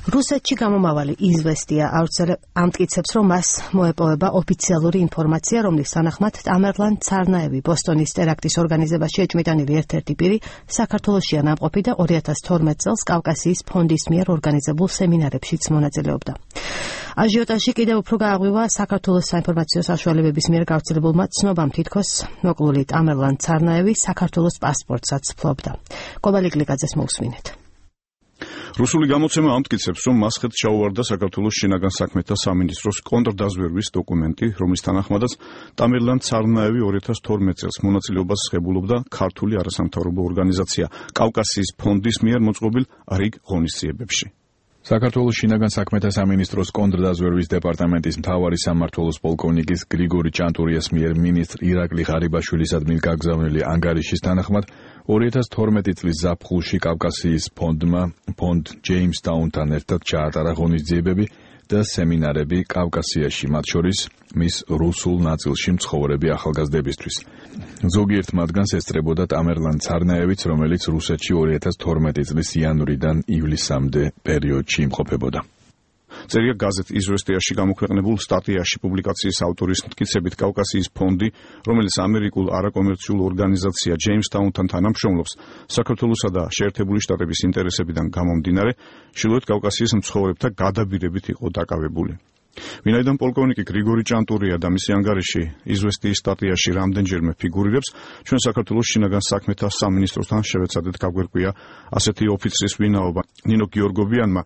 რუსეთში გამომავალი იზვესტია ამტკიცებს, რომ მას მოეპოვება ოფიციალური ინფორმაცია, რომლის თანახმად ტამერლან ცარნაევი ბოსტონის ტერაქტის ორგანიზებაში ეჭვმიტანილი ერთ-ერთი პირი საქართველოშია ნამყოფი და 2012 წელს კავკასიის ფონდის მიერ ორგანიზებულ სემინარებშიც მონაწილეობდა. აჟიოტაჟი კიდევ უფრო გააღვივა საქართველოს საინფორმაციო საშუალებების მიერ გავრცელებულმა ცნობამ, თითქოს მოკლული ტამერლან ცარნაევი საქართველოს პასპორტსაც ფლობდა. კობალი გლიკაძეს მოусმინეთ. რუსული გამოცემა ამტკიცებს, რომ მასხეთ ჩაუვარდა საქართველოს შინაგან საქმეთა სამინისტროს კონტრდაზვერვის დოკუმენტი, რომლის თანახმადაც ტამერლან ცარნაევი 2012 წელს მონაწილეობას ღებულობდა ქართული არასამთავრობო ორგანიზაცია კავკასიის ფონდის მიერ მოწყობილ რიგ ღონისძიებებში. საქართველოს შინაგან საქმეთა სამინისტროს კონტრდაზვერვის დეპარტამენტის მთავარი სამმართველოს პოლკოვნიკის გრიგორი ჭანტურიას მიერ მინისტრ ირაკლი ღარიბაშვილისადმი გაგზავნილი ანგარიშის თანახმად 2012 წლის ზაფხულში კავკასიის ფონდ ჯეიმსტაუნთან ერთად ჩაატარა ღონისძიებები და სემინარები კავკასიაში, მათ შორის მის რუსულ ნაწილში მცხოვრები ახალგაზრდებისთვის. ზოგიერთ მათგანს ესწრებოდა ტამერლან ცარნაევიც, რომელიც რუსეთში 2012 წლის იანვრიდან ივლისამდე პერიოდში იმყოფებოდა. წერია გაზეთ იზვესტიაში გამოქვეყნებულ სტატიაში პუბლიკაციის ავტორის მტკიცებით კავკასიის ფონდი, რომელიც ამერიკულ არაკომერციულ ორგანიზაცია ჯეიმსტაუნთან თანამშრომლობს, საქართველოსა და შეერთებული შტატების ინტერესებიდან გამომდინარე, ჩრდილოეთ კავკასიის მცხოვრებთა გადაბირებით იყო დაკავებული. ვინაიდან პოლკოვნიკი გრიგორი ჭანტურია და მისი ანგარიში იზვესტიის სტატიაში რამდენჯერმე ფიგურირებს, ჩვენ საქართველოს შინაგან საქმეთა სამინისტროსთან შევეცადეთ გაგვერკვია ასეთი ოფიცრის ვინაობა. ნინო გიორგობიანმა,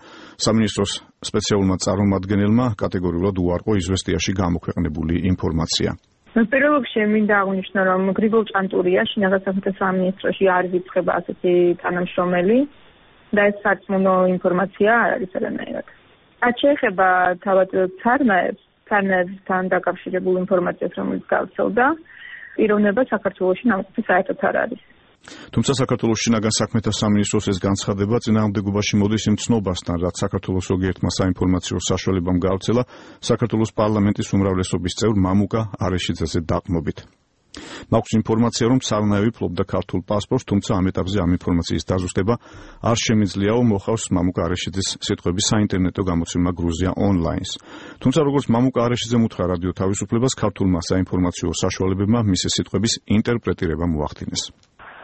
სამინისტროს სპეციალურმა წარმომადგენელმა, კატეგორიულად უარყო იზვესტიაში გამოქვეყნებული ინფორმაცია. პირველ რიგში მინდა აღვნიშნო, რომ გრიგორ ჭანტურია შინაგან საქმეთა სამინისტროში არ იწება ასეთი თანამშრომელი და ეს სარწმუნო ინფორმაცია არ არის არანაირად. რაც შეეხება თავად ცარნაევთან დაკავშირებულ ინფორმაციას, რომელიც გავრცელდა, პიროვნება საქართველოში ნამყოფი საერთოდ არ არის. თუმცა საქართველოს შინაგან საქმეთა სამინისტროს ეს განცხადება წინააღმდეგობაში მოდის იმ ცნობასთან, რაც საქართველოს ზოგიერთმა საინფორმაციო საშუალებამ გავრცელა საქართველოს პარლამენტის უმრავლესობის წევრ მამუკა არეშიძეზე დაყრდნობით. მაქვს ინფორმაცია, რომ ცარნაევი ფლობდა ქართულ პასპორტს, თუმცა ამ ეტაპზე ამ ინფორმაციის დაზუსტება არ შემიძლიაო, მოხავს მამუკა არეშიძის სიტყვების საინტერნეტო გამოცემა გრუზია ონლაინს. თუმცა როგორც მამუკა არეშიძემ უთხრა რადიო თავისუფლებას, ქართულმა საინფორმაციო საშუალებებმა მისი სიტყვების ინტერპრეტირება მოახდინეს.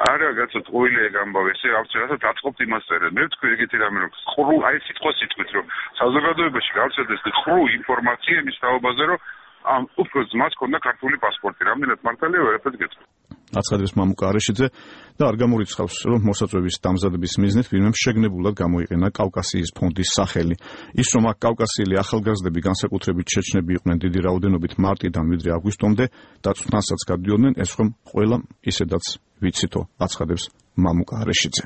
არა გაცოთ ყოილე გამბავე ესე ავწერასაც დაწყობთ იმას წერენ. მე ვთქვი ეგეთი რამე რომ ყრუ აი სიტყვით რომ საზოგადოებაში გავრცელდეს ყრუ ინფორმაცია იმის თაობაზე რომ ამ უფრო ძმას ქონდა ქართული პასპორტი. რამდენად მართალია ვერაფერს გეტყვი. აცხადებს მამუკა არეშიძე და არ გამორიცხავს, რომ მოსაწვევის დამზადების მიზნით ვინმემ შეგნებულად გამოიყენა კავკასიის ფონდის სახელი. ის რომ აქ კავკასიელი ახალგაზრდები განსაკუთრებით ჩეჩნები იყვნენ დიდი რაოდენობით მარტიდან ვიდრე აგვისტომდე დაწვნასაც გადიოდნენ, ეს ხომ ყველა ისედაც ვიცითო, აცხადებს მამუკა არეშიძე.